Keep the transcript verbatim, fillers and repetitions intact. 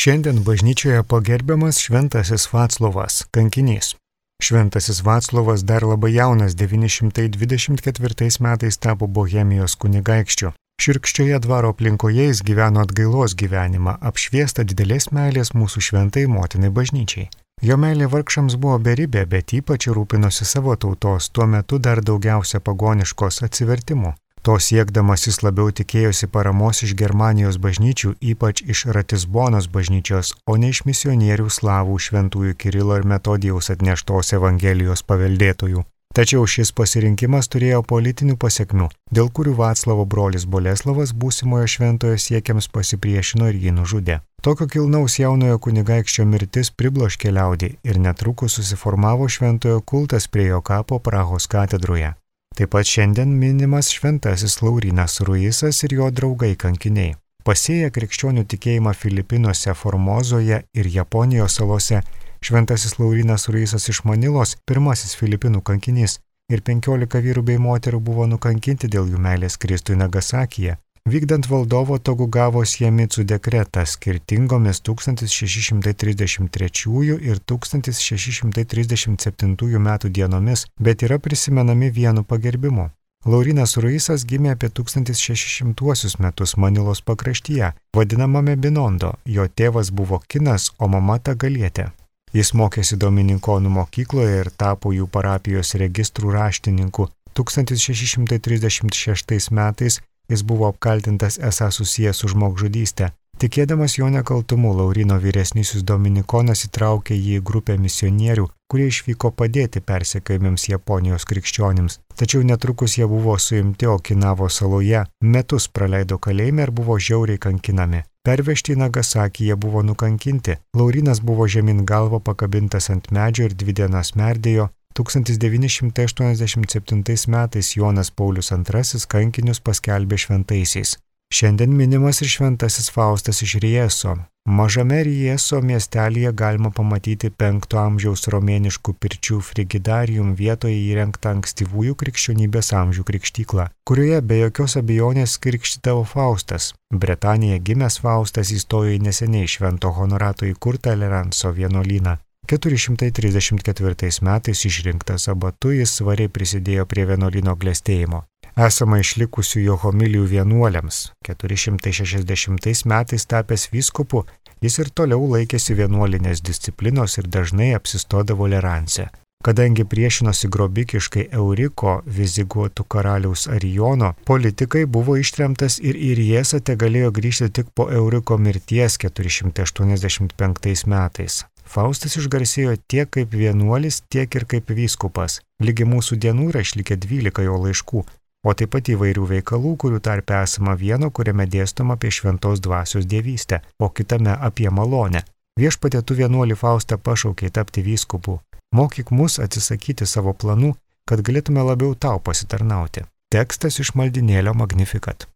Šiandien bažnyčioje pagerbiamas šventasis Vaclovas, kankinys. Šventasis Vaclovas dar labai jaunas devyni šimtai dvidešimt ketvirtais metais tapo Bohemijos kunigaikščiu. Širkščioje dvaro aplinkoje jis gyveno atgailos gyvenimą, apšviestą didelės meilės mūsų šventai motinai bažnyčiai. Jo meilė vargšams buvo beribė, bet ypač rūpinosi savo tautos, tuo metu dar daugiausia pagoniškos atsivertimų. To siekdamas jis labiau tikėjosi paramos iš Germanijos bažnyčių, ypač iš Ratisbonos bažnyčios, o ne iš misionierių slavų šventųjų Kirilo ir Metodijaus atneštos Evangelijos paveldėtojų. Tačiau šis pasirinkimas turėjo politinių pasekmių, dėl kurių Vaclavo brolis Boleslavas būsimojo šventojo siekiams pasipriešino ir jį nužudė. Tokio kilnaus jaunojo kunigaikščio mirtis pribloškė liaudį ir netrukus susiformavo šventojo kultas prie jo kapo Prahos katedroje. Taip pat šiandien minimas šventasis Laurynas Ruisas ir jo draugai kankiniai. Pasėję krikščionių tikėjimą Filipinuose, Formozoje ir Japonijos salose, šventasis Laurynas Ruisas iš Manilos, pirmasis Filipinų kankinys, ir penkiolika vyrų bei moterų buvo nukankinti dėl jų meilės Kristui Nagasakyje. Vykdant valdovo Togugavos Jemicų dekretą skirtingomis tūkstantis šeši šimtai trisdešimt trečiųjų ir tūkstantis šeši šimtai trisdešimt septintųjų metų dienomis, bet yra prisimenami vienu pagerbimu. Laurynas Ruisas gimė apie tūkstantis šeši šimtuosius metus Manilos pakraštyje, vadinamame Binondo. Jo tėvas buvo kinas, o mama Tagalietė. Jis mokėsi Dominikonų mokykloje ir tapo jų parapijos registrų raštininku. tūkstantis šeši šimtai trisdešimt šeštais metais jis buvo apkaltintas esą susijęs su žmogžudyste. Tikėdamas jo nekaltumu, Lauryno vyresnysis Dominikonas įtraukė jį į grupę misionierių, kurie išvyko padėti persekiojamiems Japonijos krikščionims. Tačiau netrukus jie buvo suimti Okinavo saloje, metus praleido kalėjime ir buvo žiauriai kankinami. Pervežti į Nagasakį jie buvo nukankinti. Laurynas buvo žemyn galva pakabintas ant medžio ir dvi dienas merdėjo. tūkstantis devyni šimtai aštuoniasdešimt septintais metais Jonas Paulius antrasis kankinius paskelbė šventaisiais. Šiandien minimas ir šventasis Faustas iš Rieso. Mažame Rieso miestelyje galima pamatyti penkto amžiaus romėniškų pirčių frigidarium vietoje įrengtą ankstyvųjų krikščionybės amžių krikštyklą, kurioje be jokios abejonės krikštydavo Faustas. Bretanėje gimęs Faustas įstojo į neseniai švento Honorato įkurtą Leranso vienuolyną. keturi šimtai trisdešimt ketvirtais metais išrinktas abatu, jis svariai prisidėjo prie vienuolyno klestėjimo. Esama išlikusių jo homilijų vienuoliams. keturi šimtai šešiasdešimtais metais tapęs vyskupu, jis ir toliau laikėsi vienuolinės disciplinos ir dažnai apsistodavo Leranse. Kadangi priešinosi grobikiškai Euriko, viziguotų karaliaus Arijono, politikai buvo ištremtas ir į Riesą tegalėjo grįžti tik po Euriko mirties keturi šimtai aštuoniasdešimt penktais metais. Faustas išgarsėjo tiek kaip vienuolis, tiek ir kaip vyskupas. Lygi mūsų dienų yra išlikę dvylika jo laiškų, o taip pat įvairių veikalų, kurių tarpe esama vieno, kuriame dėstoma apie šventos dvasios dievystę, o kitame apie malonę. Viešpatie tu vienuolį Faustą pašaukei tapti vyskupu. Mokyk mus atsisakyti savo planų, kad galėtume labiau tau pasitarnauti. Tekstas iš maldinėlio Magnificat.